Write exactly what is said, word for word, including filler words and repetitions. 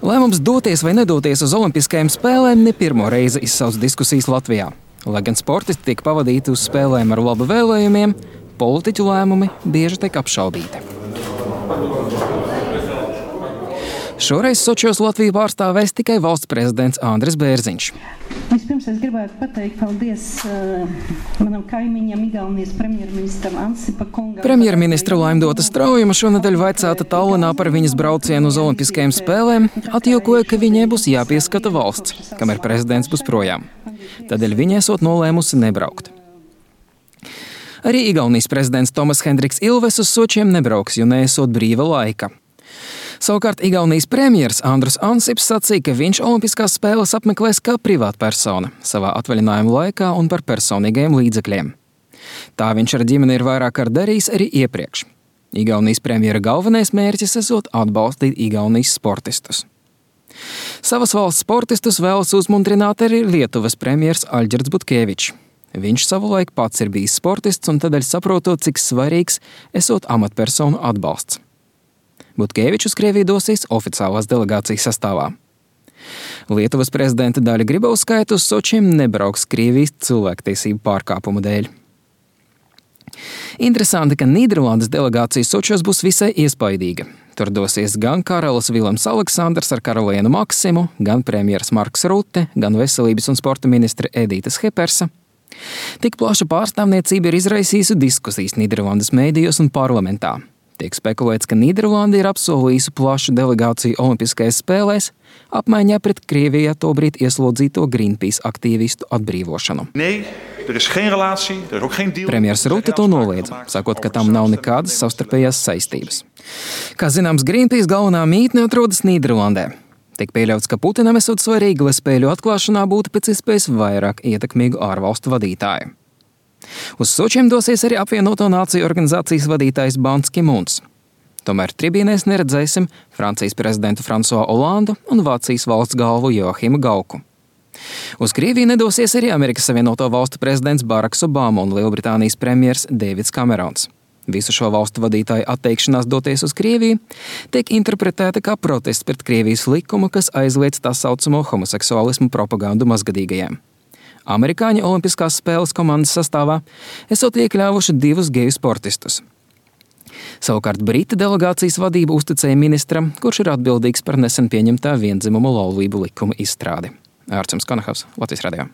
Lēmums doties vai nedoties uz olimpiskajām spēlēm ne pirmo reizi izsauc diskusijas Latvijā. Lai gan sportisti tiek pavadīti uz spēlēm ar labu vēlējumiem, politiķu lēmumi bieži tiek apšaubīti. Šoreiz Sočos Latviju pārstāvēs tikai valsts prezidents Andris Bērziņš. Vispirms es gribētu pateikt paldies uh, manam kaimiņam, Igaunijas premjerministram Ansipa kungam. Premjerministra Laimdota Straujuma šonedēļ vaicāta Tallinā par viņas braucienu uz olimpiskajām spēlēm, atjokoja, ka viņai būs jāpieskata valsts, kamēr prezidents būs projām. Tādēļ viņa esot nolēmusi nebraukt. Arī Igaunijas prezidents Tomas Hendriks Ilves uz Sočiem nebrauks, jo neesot brīva laika. Savukārt Igaunijas premjers Andrus Ansips sacīja, ka viņš olimpiskās spēles apmeklēs kā privātpersona, savā atvaļinājuma laikā un par personīgajiem līdzekļiem. Tā viņš ar ģimeni ir vairāk kārt darījis arī iepriekš. Igaunijas premjera galvenais mērķis esot atbalstīt Igaunijas sportistus. Savas valsts sportistus vēlas uzmundrināt arī Lietuvas premjers Aļģirds Butkevičs. Viņš savulaik pats ir bijis sportists un tādēļ saprotot, cik svarīgs esot amatpersonu atbalsts. Butkevičs uz Krieviju dosies oficiālās delegācijas sastāvā. Lietuvas prezidenta Daļa Grybauskaite uz Sočiem nebrauks Krievijas cilvēktiesību pārkāpumu dēļ. Interesanti, ka Nīderlandes delegācija Sočos būs visai iespaidīga. Tur dosies gan karalis Vilems Aleksandrs ar karalienu Maksimu, gan premjeras Marks Rute, gan veselības un sporta ministre Edīta Schepersa. Tik plaša pārstāvniecība ir izraisījusi diskusijas Nīderlandes mēdījos un parlamentā. Tiek spekulēts, ka Nīderlanda ir apsolījusi plašu delegāciju olimpiskajās spēlēs, apmaiņā pret Krievijā tobrīd ieslodzīto Greenpeace aktīvistu atbrīvošanu. Nee, er is geen relatie, er is ook geen deal. Premjers Rute to noliedza, sakot, ka tam nav nekādas savstarpējās saistības. Kā zināms, Greenpeace galvenā mītne atrodas Nīderlandē. Tiek pieļauts, ka Putinam esot svarīgi, lai spēļu atklāšanā būtu pēc iespējas vairāk ietekmīgu ārvalstu vadītāju. Uz Sočiem dosies arī apvienoto nāciju organizācijas vadītājs Bans Ki-muns. Tomēr tribīnēs neredzēsim Francijas prezidentu François Hollandu un Vācijas valsts galvu Joachimu Gauku. Uz Krieviju nedosies arī Amerikas Savienoto valstu prezidents Baraks Obama un Lielbritānijas premjers Deivids Kamerons. Visu šo valstu vadītāju atteikšanās doties uz Krieviju tiek interpretēta kā protests pret Krievijas likumu, kas aizliedz tā saucamo homoseksuālismu propagandu mazgadīgajiem. Amerikāņu olimpiskās spēles komandas sastāvā esot iekļāvuši divus geju sportistus. Savukārt Brita delegācijas vadību uzticēja ministram, kurš ir atbildīgs par nesen pieņemtā viendzimumu laulību likuma izstrādi. Ārčuns Konahavs, Latvijas radio.